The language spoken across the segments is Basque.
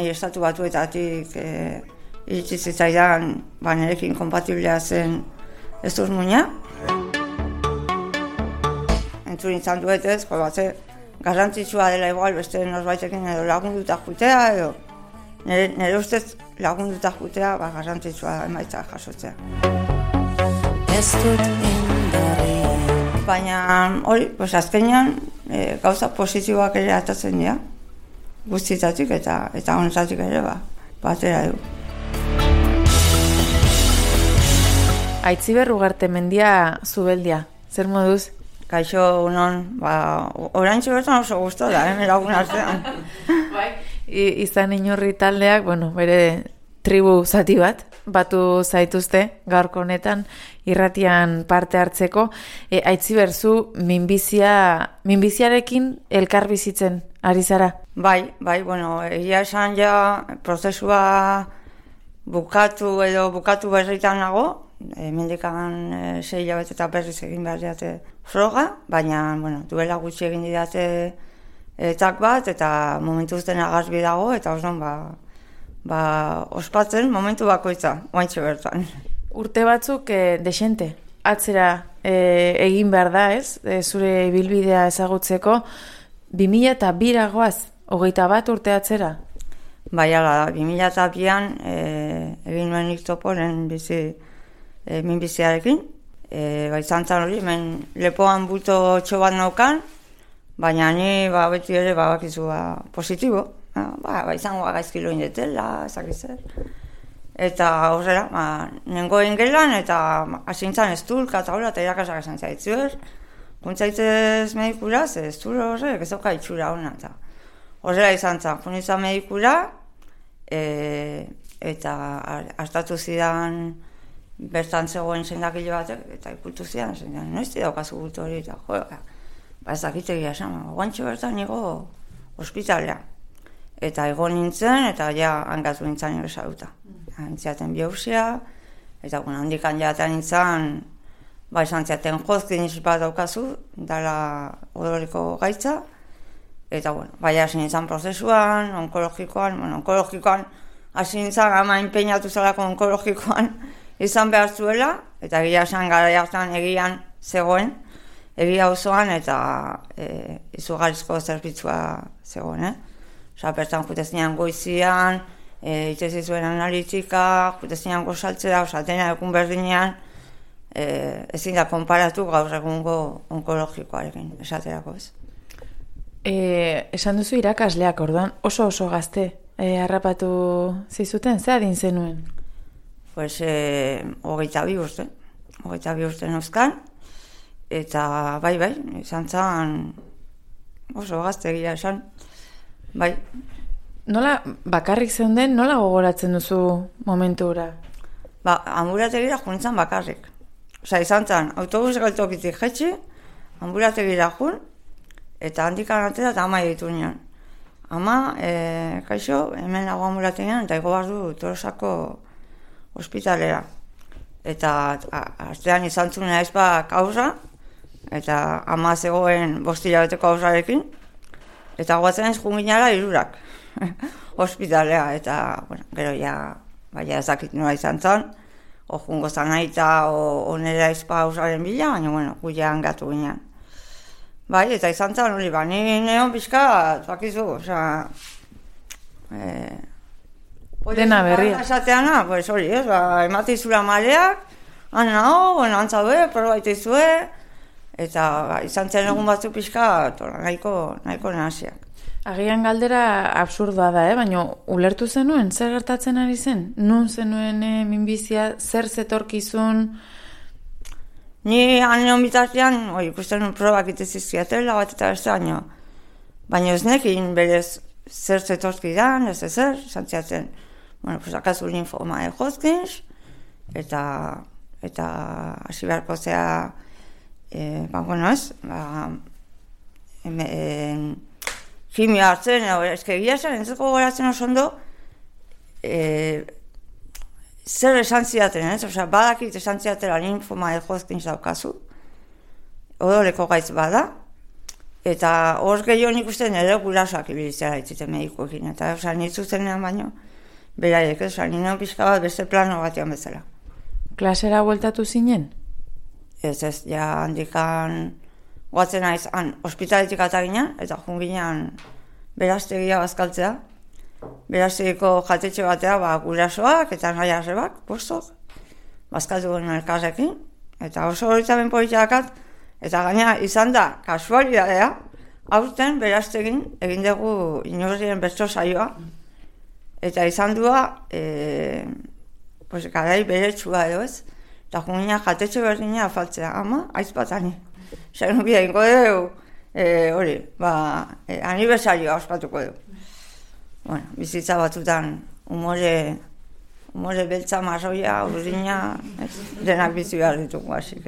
nahi estatu batuetatik iritsi zitzaidan nerekin kompatiblea zen ez duz muina. Entzun izan duetez, garrantzitsua dela igual beste norbaitekin edo lagunduta jutea edo nire ustez lagunduta jutea garrantzitsua emaitza jasotzea. Baina hori, azkenean gauza positiboak ere atatzen dira, guztietatik eta honetatik ere batera du. Aitziber Ugartemendia Zubeldia, zer moduz? Kaixo, unon, oraintxe bertan oso guztu da, lagun artean. Izan Iñurri taldeak, bere tribu zati bat, batu zaituzte gaurko honetan irratian parte hartzeko. Aitziber, zu minbiziarekin elkar bizitzen ari zara? Bai, egia esan ja prozesua bukatu berritan nago, mendikan 6 hilabete eta berriz egin behar diate froga, baina duela gutxi egin didate etak bat eta momentu uzten agazbi dago eta osnon ospatzen momentu bakoitza, oaintxe bertan. Urte batzuk desente, atzera egin behar da, ez? Zure ibilbidea ezagutzeko 2002 goaz, 21 urte atzera? Bai, ala da, 2002an egin nuen iktoporen minbiziarekin. Izan zan hori, lepoan bulto txobat naukan, baina ni beti ere bakizu positibo. Izango gaizkilo indetela, ezakizzer. Eta horrela, nengoen gelan eta asintzan ez dulka eta hola, eta irakasak esan zaitzuer. Guntzaitzez medikura, ez dure horrek, ez dauka itxura hona. Horrela izan zan, junizan medikura, eta hartatu zidan bertan zegoen zendakile batek, eta ikultu zidan, noizti daukazu gultu hori, eta ez dakitegia esan, guantxo bertan nigo ospitalea. Eta egon nintzen, eta ja hangatu nintzen nire saluta. Antziaten biopsia, eta handikan jaten nintzen, izan ziaten jozkin bat daukazu, dala odoriko gaitza, eta hasi nintzen prozesuan, onkologikoan, hasi nintzen ama enpeinatu zelako onkologikoan izan behar zuela, eta egia esan gara jartan egian zegoen, egia osoan eta izugarrizko zerbitzua zegoen, bertan jutezinean goizian, itezizuen analitika, jutezinean gozaltzea, osatena egun berdinean, ezin da konparatu gaur egungo onkologikoarekin, esaterako ez. Esan duzu irakasleak orduan, oso gazte harrapatu zizuten, ze adin zenuen? 22 urte. 22 urte nozkan, eta bai, izan zan oso gazte egia esan. Bai. Nola, bakarrik zeunden, nola gogoratzen duzu momentura? Ambulategira juntzan bakarrik. Izan zan, autobus galtokitik jetxi, ambulategira jun, eta handikan atera eta ama ditu nion. Ama, kaixo, hemen nago ambulategian, eta ego bardu Tolosako ospitalera. Eta astean izan zunea ezbak aurra, eta ama zegoen 5 hilabeteko aurrarekin, eta guatzen ez junginara 3 ospitalea, eta gero ezakit nola izan zan, jungo zan nahi eta onera ezpa aurraren bila, baina guia hangatu ginean. Eta izan zan hori, ni neon pixka, bakizu, dena berria. Esateana, hori, ematizura maleak, antzabe, probaitizue, eta izan zen egun batzuk pixka, nahiko nahasiak. Agian galdera absurdoa da, baina ulertu zenuen, zer gertatzen ari zen? Nun zenuen minbizia, zer zetorkizun? Ni aneon bitartean, ikusten nun probak itezizkiatela bat eta beste baina ez nekin berez zer zetorkidan, ez ezer, zantziatzen. Akazu linfoma de Hodgkins, eta hasi beharko zea, kimio hartzen, egia zen, entzeko goratzen oso ondo, zer esan zidaten, badakit esan zidatela linfoma de Hodgkins daukazu, odoleko gaitz bada, Eta hor gehiago nik uste nire gurasoak ibilitzera itziten medikoekin. Eta nik zuzenean baino, beraiek, nire pixka bat beste plano batean bezala. Klasera bueltatu zinen? Ez, ja handikan guatzen naiz, ospitaletik atagina, eta junginean beraztegia bazkaltzea. Beraztegiko jatetxe batea, gurasoak eta nahi arrebak, postok, bazkaltu guen elkarrekin. Eta oso horitaben politiakaat, eta gaina izan da, kasualidadea, aurten beraztegin egin dugu inorrien bertso saioa, eta izan dua, garai beretsua edo ez, eta jungina jatetxe berdina afaltzea, ama, aizpatani. Zer nubia ingo dugu, aniversarioa ospatuko dugu. Bueno, bizitza batutan umore beltza marroia, urdina, denak bizi behar ditugu, hasik.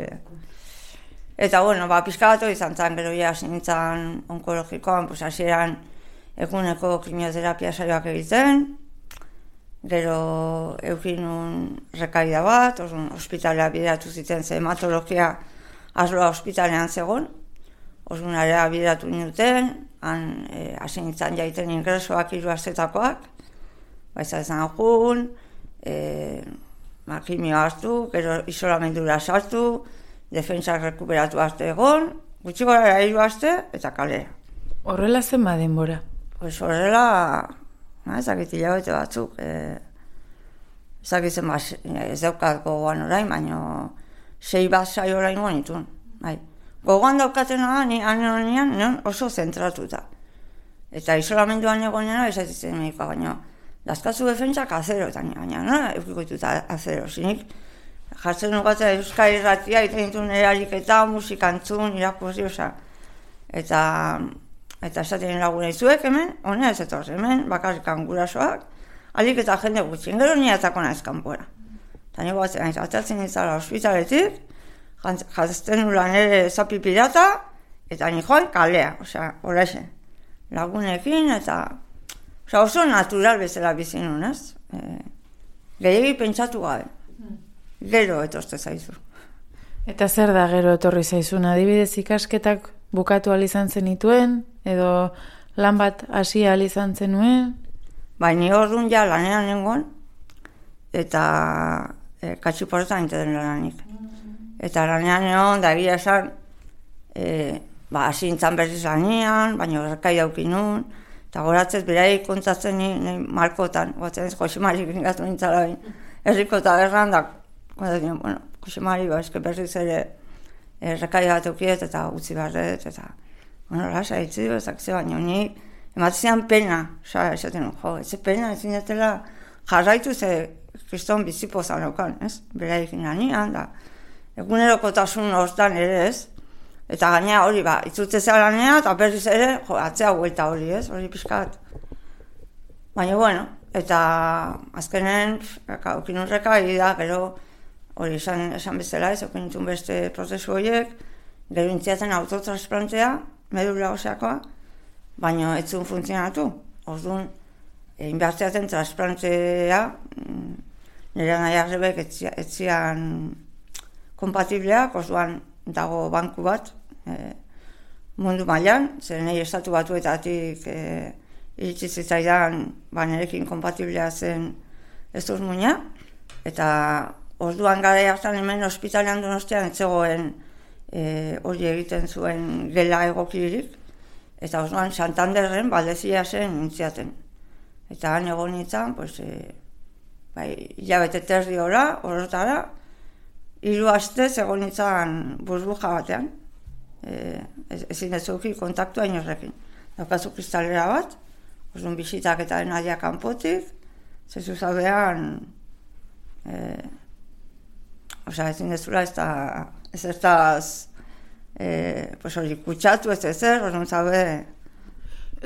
Eta, pixka batu izan zen, gero ja, nintzen onkologikoan, hasieran eguneko kimioterapia saioak egiten, gero eukinun rekaida bat, ospitalea bideratu ziten, ze hematologia arloa ospitalean zegoen, area bideratu ninduten, hasi nintzen jaiten ingresoak 3 astetakoak, baita ezan jun, kimio hartu, gero isolamendura sartu, defentsak rekuperatu arte egon, gutxi gora 3 aste eta kalera. Horrela zen denbora? Horrela, ezakit hilabete batzuk, ezakitzen ez daukat gogoan orain, baina 6 bat saio orain nituen. Gogoan daukatena ni anean oso zentratuta. Eta isolamenduan egonena esatzen medikoa, baina dazkatzu defentsak azero, eta baina nola eukikoituta azero, zinik jartzen nukatzen Euskal Irratia, egiten dituen erariketa, musikantzun, irakurri, eta esaten laguna izuek hemen, honea ez etorz hemen, bakarrikan gurasoak, alik eta jende gutxien, gero niatako naiz kanpora. Eta nire batzen naiz, atatzen nintzala ospitaletik, jazten nula nire zapi pirata, eta nire joan kalea, horrexen, lagunekin, eta oso natural bezala bizi nun, ez? Gehiagi pentsatu gabe. Gero etorte zaizu. Eta zer da gero etorri zaizun? Adibidez ikasketak bukatu izan zenituen, edo lan bat hasi izan zenuen? Ni orduan ja lanean nengoen, eta katxiporretan inteten lanik. Eta lanean egon, da egia esan, hasi nintzen berriz lanean, baina horrekai daukin nuen, eta goratzez beraik kontatzen nire markotan, gotzen ez Josemari gingatu nintzala herriko tabernan, da Josemari berriz ere errekai bat eukiet eta utzi barret, eta lasa hitzi bezak ze baino nik ematzen pena, esaten ez pena, ezin detela jarraitu ze kriston bizipozan eukan, ez? Beraikin lanian, da egunerokotasun hortan ere ez, eta gaina hori itzultze zelanea, eta berriz ere, atzea huelta hori ez, hori pixkat. Baina, eta azkenen, okinurreka, da, gero, hori esan bezala ez, okinitun beste prozesu horiek, gero intziatzen autotransplantea, medula oseakoa, baina ez zuen funtzionatu. Orduan, inbertziaten transplantea, nire nahi arrebek ez zian kompatibleak, orduan dago banku bat, mundu mailan, zer nahi estatu batuetatik iritsi zitzaidan nerekin kompatiblea zen ez duz muina, eta orduan gara hartan hemen ospitalean Donostian etzegoen hori egiten zuen gela egokirik, eta orduan Santanderren Baldezia zen nintziaten. Eta han egon nintzen, hilabete terdi horretara, 3 astez egon nintzen burbuja batean, ezin ez zuki kontaktua inorrekin. Daukazu kristalera bat, orduan bisitak eta nadia kanpotik, zezu zaudean, ezin dezula ez eztaz kutsatu ez ezer, orduan zaude.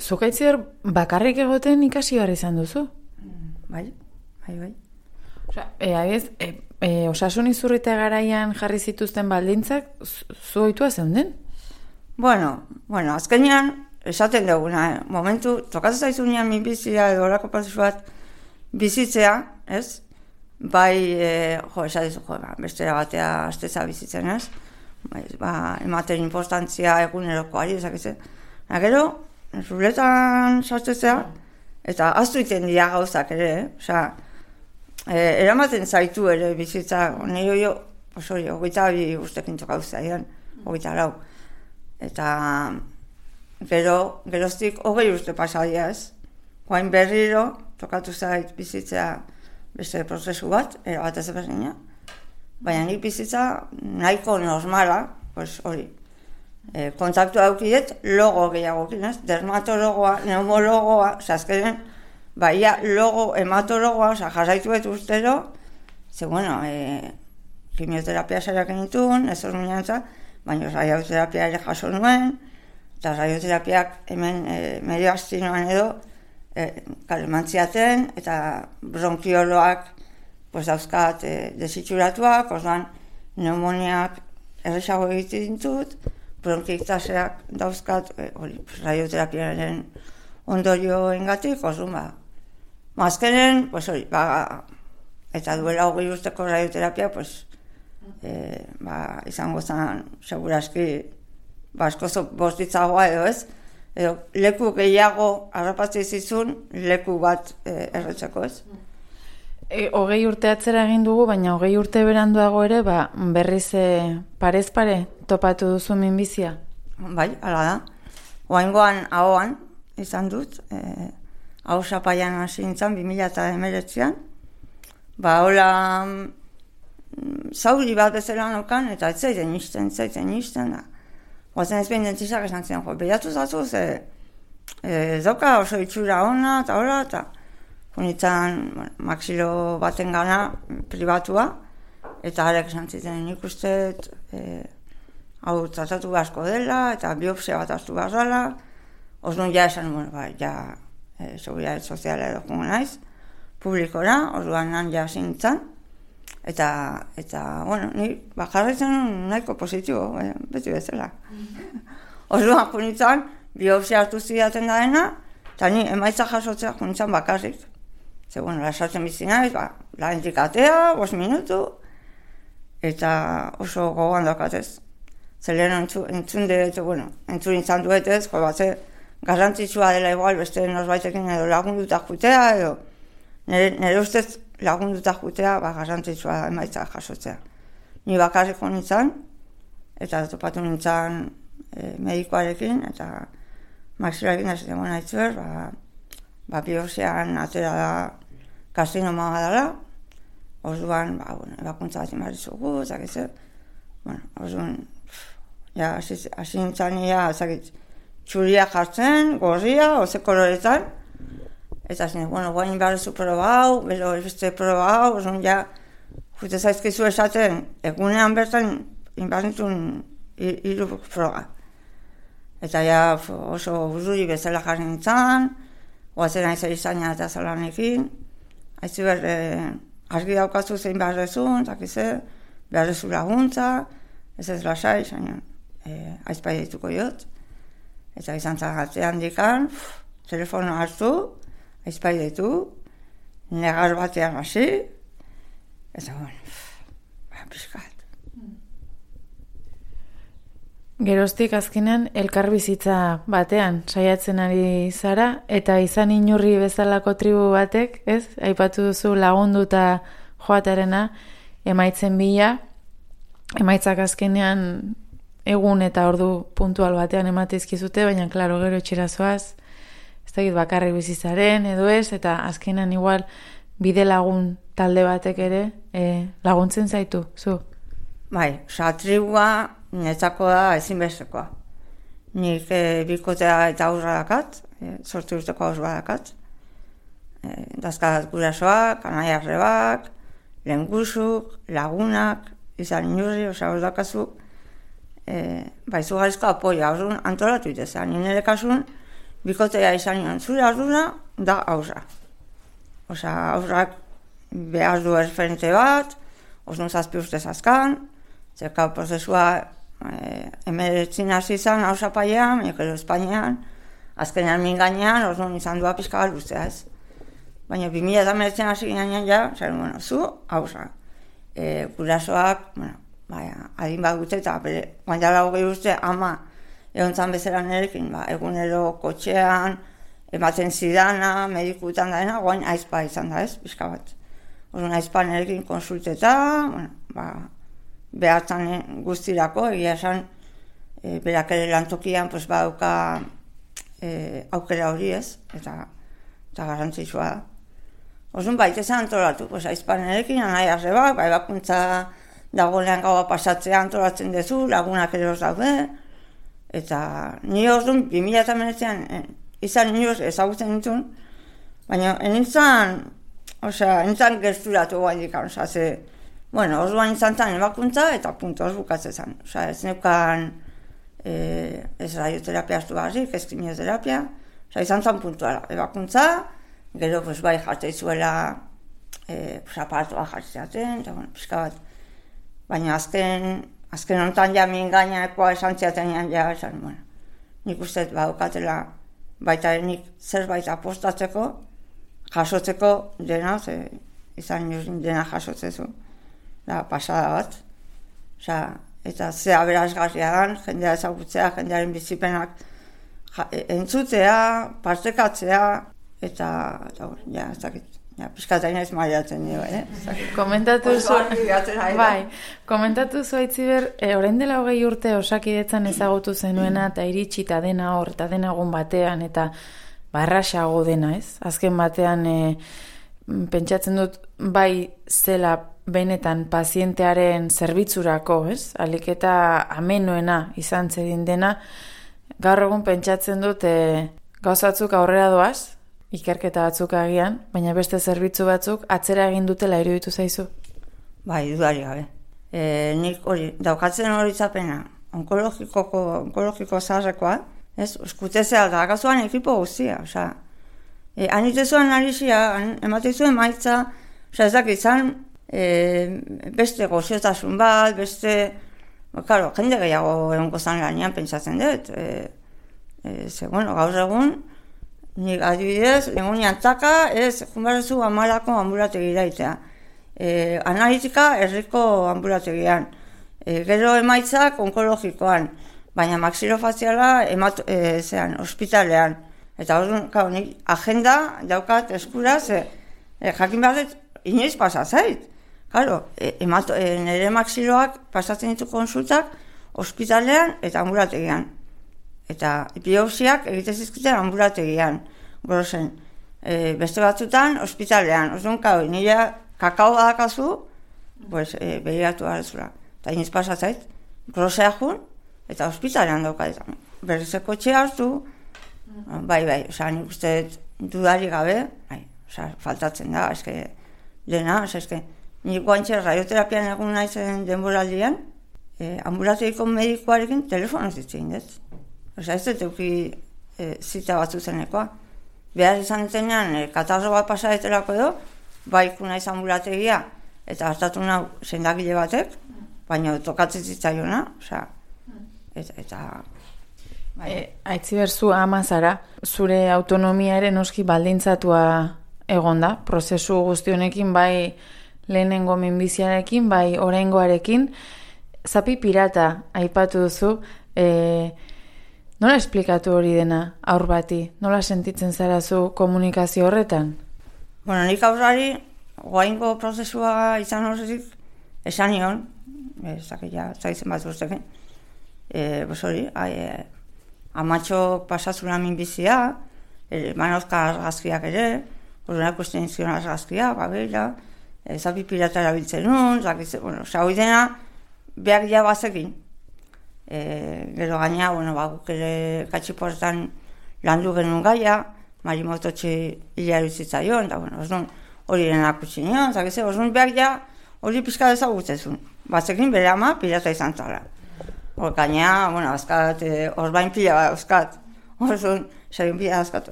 Zukaitzider bakarrik egoten ikasi behar izan duzu? Bai. Osasun izurrite garaian jarri zituzten baldintzak, zu ohitua zeunden? Bueno, azkenean, esaten duguna, momentu, tokatzen zaizunean minbizia edo horako prozesu bat bizitzea, ez? Bai, bestera batea asteza bizitzen, ez? Ematen importantzia egunerokoari, ezakitzen. Gero, ruletan sartzea, eta aztu iten dira gauzak ere, eramaten zaitu ere bizitza, nire hogeita bi ustekin gauza, 24. Eta geroztik 20 urte pasadia ez. Guain berriro, tokatu zait bizitza beste prozesu bat, erabat ez berdina. Baina nik bizitza nahiko normala, hori. Kontaktu daukidet logo gehiagokin, ez? Dermatologoa, neumologoa, azkenen, baina logo hematologoa, jarraitu betu ustero, kimioterapia saiak nituen, ez hor minantza, baina radioterapia ere jaso nuen, eta radioterapiak hemen medio astinoan edo kalemantziaten, eta bronkioloak dauzkat desitxuratuak, orduan pneumoniak erresago egiten ditut, bronkiktaseak dauzkat radioterapiaren ondorioengatik, orduan azkenen, eta duela 20 urteko radioterapia, izango zen seguraski askoz bostitzagoa edo ez, edo leku gehiago harrapatze zizun leku bat erretzeko ez. 20 urte atzera egin dugu, baina 20 urte beranduago ere, berriz parez pare topatu duzu minbizia? Bai, hala da. Oaingoan ahoan izan dut, hau sapaian hasi nintzen 2019an. Hola zauri bat bezala nokan, eta ez zaiten nisten da. Oazen ez behin dentizak esan ziren, behatu zatu, dauka oso itxura ona, eta hola, eta honitzen maxilo baten gana pribatua, eta harek esan ziten nik uste, hau tratatu asko dela, eta biopsia bat hartu behar orduan ja esan, seguridade soziala edo jungo naiz, publikora, orduan nan ja zintzen, eta ni jarraitzen nahiko positibo, beti bezala. Orduan junitzen, biopsia hartu zidaten da dena, eta ni emaitza jasotzea junitzen bakarrik. Lasartzen bizi naiz, la entikatea, 5 minutu, eta oso gogoan daukatez. Zelen entzun izan duetez, garrantzitsua dela igual beste norbaitekin edo lagunduta jutea, edo nire ustez lagunduta jutea, garrantzitsua emaitza jasotzea. Ni bakarrik nintzen, eta topatu nintzen medikoarekin, eta maxilarekin da zitzen naitzuer, biopsian atera da karzinoma dela, orduan, ebakuntza bat imarizugu, orduan, hasi nintzen txuria jartzen, gorria, oze koloretan, eta guain behar proba hau, gero beste proba hau, orduan jute zaizkizu esaten, egunean bertan inbarnitun 3 proba. Eta oso burruri bezala jarri nintzen, oazen aiza izaina eta zalanekin, haizu argi daukazu zein beharrezun, beharrezu laguntza, ez lasai, aizpai dituko jot. Eta izan zagatzean dikan, telefono hartu, aizpai ditu, negar batean hasi, eta piskat. Geroztik azkenean elkarbizitza batean saiatzen ari zara, eta izan inurri bezalako tribu batek, ez? Aipatu duzu lagunduta joatarena, emaitzen bila, emaitzak azkenean egun eta ordu puntual batean emateizkizute, baina klaro gero etxerazoaz, ez da bakarrik bizitzaren edo ez, eta azkenean igual bide lagun talde batek ere laguntzen zaitu, zu? Bai, tribua netzako da ezinbestekoa. Nik bikotea eta aurra dakat, 8 urteko aurra dakat. Dazkat gurasoak, anaiarrebak, lehengusuk, lagunak, izan inurri, hor dakazu, izugarrizko apoia, orduan antolatu itezan. Nire kasun, bikotea izan nion, zure ardura da aurra. Aurrak behar du erreferente bat, osnun 7 urte zazkan, zerka prozesua emeretzin hasi izan hausapaian, gero Espainian, azkenean mingainean, orduan izan dua pixka luzea ez. Baina 2019 hasi ginean zu hausra. Gurasoak, adin bat gute eta guain dala 20 urte ama egon zan bezala nerekin, egunero kotxean, ematen zidana, medikutan daena, guain aizpa izan da ez, pixka bat. Orduan aizpa nerekin konsulteta, behartzen guztirako, egia esan, berak ere lantokian, badauka aukera hori ez, eta garrantzitsua da. Orduan baita zen antolatu, aizpa nerekin, anai arrebak, ebakuntza dagoenean gaua pasatzea antolatzen dezu, lagunak ere daude, eta ni orduan 2008an izan inoz ezagutzen ditun, baina nintzen gerturatu guaidik, orduan izan zen ebakuntza eta punto hor bukatzen zen. Ez neukan ez radioterapia hartu barrik, ez kimioterapia, izan zen puntuala, ebakuntza, gero bai jartzen zuela aparatua jartzeaten, eta pixka bat. Baina azken honetan ja mingainakoa esan ziaten esan, nik uste badukatela baita nik zerbait apostatzeko, jasotzeko dena, izan dena jasotzezu, da pasada bat. Eta ze aberasgarria dan, jendea ezagutzea, jendearen bizipenak entzutea, partekatzea, eta ez dakit. Piskataina ez maiatzen nio, Komentatu zu Aitziber, orain dela 20 urte Osakidetzan ezagutu zenuena eta iritsi eta dena hor, eta dena egun batean, eta barraxago dena, ez? Azken batean pentsatzen dut bai zela benetan pazientearen zerbitzurako, ez? Alik eta amenoena izan zedin dena, gaur egun pentsatzen dut gauzatzuk aurrera doaz, ikerketa batzuk agian, baina beste zerbitzu batzuk atzera egin dutela iruditu zaizu? Bai, dudari gabe. Nik hori, daukatzen hori zapena, onkologiko zaharrekoa, ez, eskutezea da, gazuan ekipo guztia, anitezuan narizia, ematezuen maitza, ez dakizan, beste goziotasun bat, beste, jende gehiago egongo zan lanean pentsatzen dut, gaur egun, nik adibidez, egunean taka, ez, junbarezu amalako ambulategira itea. Analitika herriko ambulategian. Gero emaitzak onkologikoan, baina maxilofaziala ospitalean. Eta hori, nik agenda daukat eskuraz, jakin behar dut, inoiz pasazait. Nire maxiloak pasatzen ditu konsultak ospitalean eta ambulategian. Eta biopsiak egite zizkiten ambulategian, gorozen. Beste batzutan, ospitalean. Orduan, nire kakao badakazu, begiratu garezula. Eta iniz pasatzait, grosea jun, eta ospitalean daukadetan. Berrizeko txe hartu, bai, nik uste dudari gabe, faltatzen da, dena, nik guantxe radioterapian egun naizen denboraldian, ambulategiko medikoarekin telefonoz ditzen dut. Ez dut euki zita batzu zenekoa. Behar izan zenean, katarro bat pasadetelako edo, baiku naiz ambulategia, eta hartatu nau sendagile batek, baina tokatzen zitzaiona, eta... Aitziber, zu ama zara, zure autonomiaren oski baldintzatua egonda, prozesu guzti honekin, bai lehenengo minbiziarekin, bai oraingoarekin, zapi pirata aipatu duzu, nola esplikatu hori dena aur bati? Nola sentitzen zara zu komunikazio horretan? Nik aurrari, goaingo prozesua izan horretik, esan nion, zaitzen bat urteken, amatxok pasazuna minbizia, manozka argazkiak ere, horrenak usten izkion argazkiak, zapi pirata erabiltzen nun, hori dena, behar ja bazekin. Gero gaina, guk ere katxiportan landu genuen gaia, marimototxe hilea eruzitzaion, eta hori denak utzi nion, orduan behar ja hori pixka dezagutzezun. Batzekin bere ama pirata izan zara. Gaina, azkat, orbain pila bat azkat. Orduan,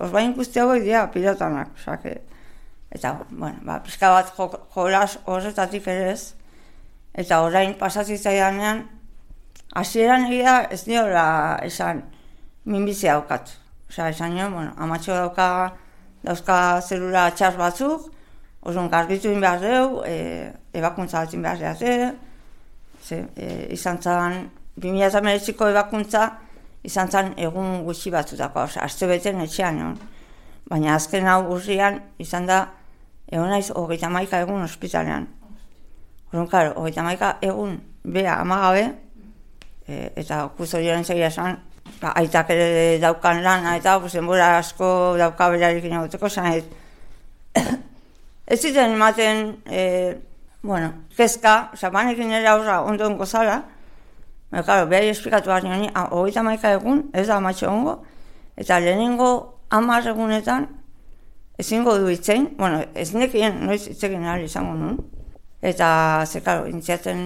orbain guzti hau dira piratanak. Eta, pixka bat jolas horretatik ere ez. Eta orain pasazitzaidanean, hasieran egia ez niola esan minbizia daukat. Esan nio, amatxo dauzka zelula txar batzuk, orduan garbitu behar deu, ebakuntza batzin behar deu, izan zan, 2008ko ebakuntza izan zen egun gutxi batzutako, aste beten etxean egon. Baina azken hau urrian izan da, egon naiz 31 egun ospitalean. Orduan, claro, 31 egun bea amagabe, eta kustodioaren segia esan, aitak ere daukan lana eta denbora asko dauka berarekin egoteko, zan ez ziten ematen, kezka, banekin ere aurra ondoen gozala, claro, behar esplikatu behar nioni, 31 egun, ez da amatxo ongo, eta lehenengo 10 egunetan ezingo du itzein, ez nekien noiz itzekin ahal izango nuen. Eta, claro, intziaten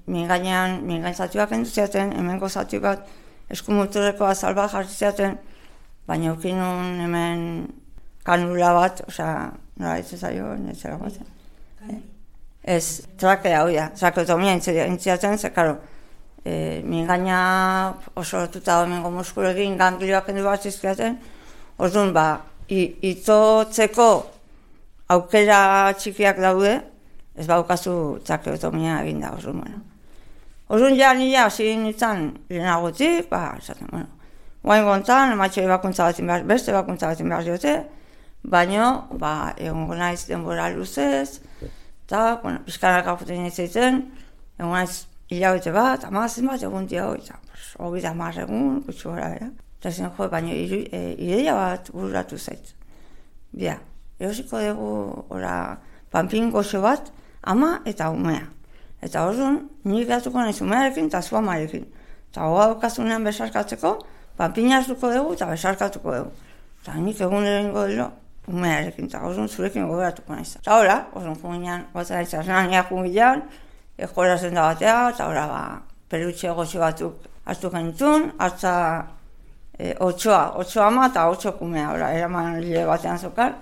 mingainzatuak enduziaten, hemengo zatu bat eskumuturreko azal bat jartziaten, baina eukin nun hemen kanula bat, nola hitz zaio, netzera batzen. Ez, trakea hoi da, trakeotomia intziaten, claro, mingaina oso lotuta hemengo muskulekin ganglioak endu bat zizkiaten, orduan, itotzeko aukera txikiak daude, ez baukazu trakeotomia egin da, orduan, nila hasi nintzen lehenagotik, esaten, guain gontan, ematxo ebakuntza batin behar, beste ebakuntza batin behar diote, baino, egongo naiz denbora luzez, eta, pizkanak akuten nintzen, egongo naiz hilabete bat, amazin bat, egun dia hori, eta, 30 egun, gutxi gora, eta zen jo, baina ideia bat bururatu zait. Bia, erosiko dugu, panpin goxo bat, ama eta umea. Eta orduan, nik gatuko naiz umearekin eta zu amarekin. Eta hoga daukazunean besarkatzeko, panpina hartuko dugu eta besarkatuko dugu. Eta nik egun erengo delo umearekin, eta orduan zurekin goberatuko naiz. Eta hola, orduan junginan, batzen naiz arnania junginan, eskola zenda batea, eta hola, pelutxe goxo batzuk hartu genitun, hartza 8 ama eta 8 kumea, eraman lile batean zokar.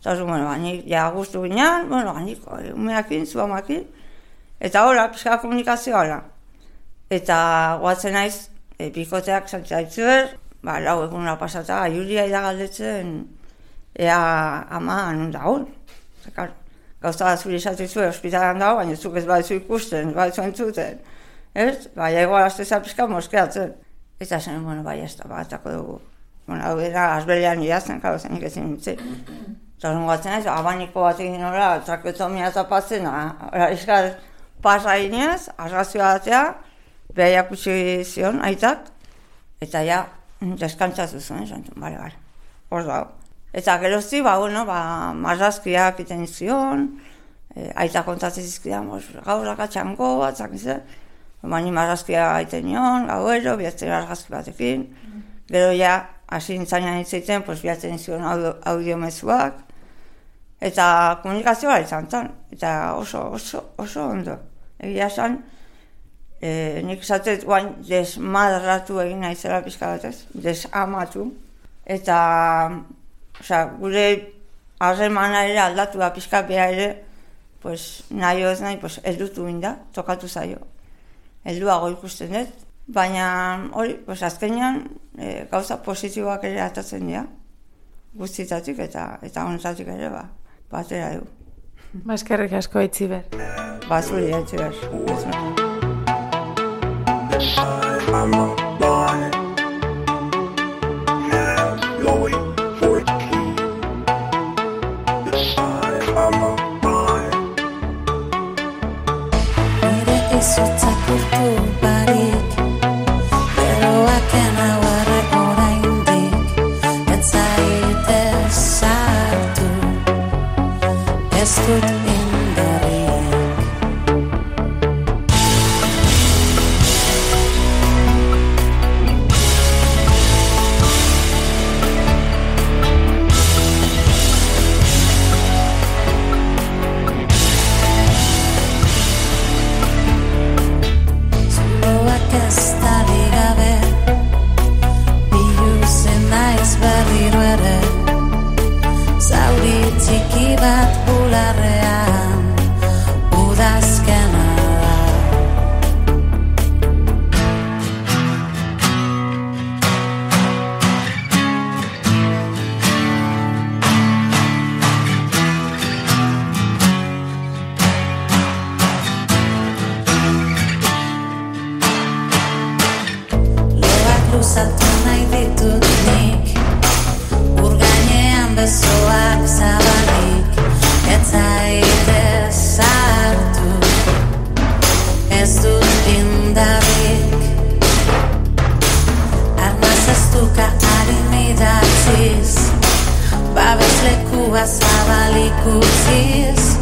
Eta orduan, nik guztu ginean, nik umeakin, zu amakin, eta hola, pixka komunikazioa hola. Eta guatzen naiz, bikoteak zantzaitzuer, 4 egunera pasata, Julia galdetzen, ea ama anon dagoen. Gauza bat zuri esatizue ospitalan dago, baina zuk ez badizu ikusten, ez badizu entzuten. Ez? Ego alazteza pixka moskeatzen. Eta zen, ez da, batako dugu. Hau dira, azbelean idazten, zenik ezin nintzen. Eta hori gatzen ez, abaniko bat egin horra, trakeotomia tapatzen, izkaz pasa ginez, arrazioa batea, behaiak utzi zion, aitak, eta ja, deskantzatu zuen, bale, hor dago. Eta gerozti, marrazkiak iten zion, aitak kontatzen zizkidan, gaurrak atxango bat, zakizen, bani marrazkia iten nion, gauero, bihatzen argazki batekin, gero ja, hasi nintzanean hitzeiten, bihatzen zion audiomezuak, eta komunikazioa izan zen, eta oso ondo. Egia esan, nik esatet guain desmadratu egin naizela pixka batez, desamatu, eta gure harremana ere aldatu da pixka beha ere, nahi ez nahi, eldutu inda, tokatu zaio. Helduago ikusten dut, baina hori, azkenean gauza positiboak ere atatzen dira, guztitatik eta honetatik ere batera dugu. Eskerrik asko Aitziber. Zuri Aitziber. gozatu nahi ditut nik. Ur gainean besoak zabalik, ez zaitez sartu, ez dut indarrik. Armaz ez duka harin idatziz, babeslekua zabalik utziz,